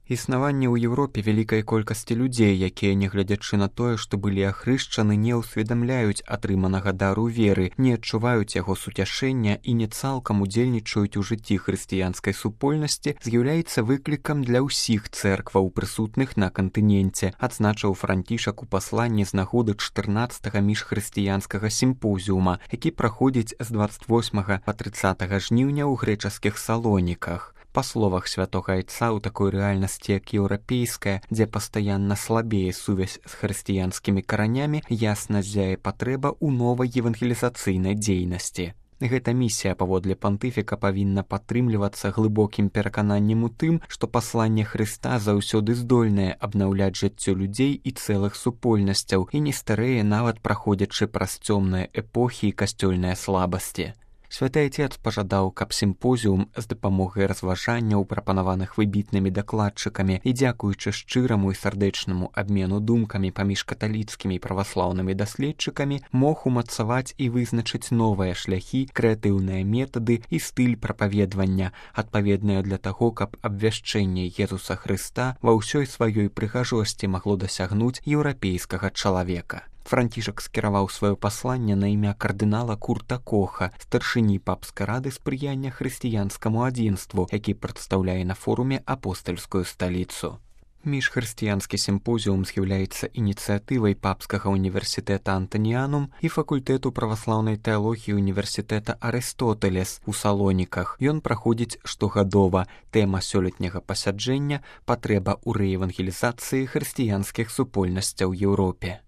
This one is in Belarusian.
Існаванне ў Еўропе вялікай колькасці людзей, якія, нягледзячы на тое, што былі ахрышчаны, не ўсведамляюць атрыманага дару веры, не адчуваюць яго суцяшэння і не цалкам удзельнічаюць у жыцці хрысціянскай супольнасці, з'яўляецца выклікам для ўсіх цэркваў, прысутных на кантыненце, адзначыў Францішак у пасланні з нагоды 14-га міжхрысціянскага сімпозіума, які праходзіць з 28 па 30 жніўня ў грэчаскіх Салоніках. Па словах святога айца, у такой рэальнасці, як еўрапейская, дзе пастаянна слабее сувязь з хрысціянскімі каранямі, ясна ззяе патрэба ў новай евангелізацыйнай дзейнасці. Гэта місія, паводле пантыфіка, павінна падтрымлівацца глыбокім перакананнем у тым, што пасланне Хрыста заўсёды здольнае абнаўляць жыццё людзей і цэлых супольнасцяў і не старэе, нават праходзячы праз цёмныя эпохі і касцёльныя слабасці. Святы Айцец пажадаў, каб сімпозіум з дапамогай разважанняў, прапанаваных выбітнымі дакладчыкамі і дзякуючы шчыраму і сардэчнаму абмену думкамі паміж каталіцкімі і праваслаўнымі даследчыкамі, мог умацаваць і вызначыць новыя шляхі, крэатыўныя метады і стыль прапаведвання, адпаведныя для таго, каб абвяшчэнне Езуса Хрыста ва ўсёй сваёй прыгажосці магло дасягнуць еўрапейскага чалавека. Францішак скіраваў сваё пасланне на імя кардынала Курта Коха, старшыні папскай рады спрыяння хрысціянскаму адзінству, які прадстаўляе на форуме апостальскую сталіцу. Міжхрысціянскі сімпозіум з'яўляецца ініцыятывай папскага універсітэта Антаніанум і факультэту праваслаўнай тэалогіі універсітэта Арыстотэлес у Салоніках. Ён праходзіць штогадова. Тэма сёлетняга пасяджэння – патрэба ў рэевангелізацыі хрысціянскіх супольнасцяў Еўропе.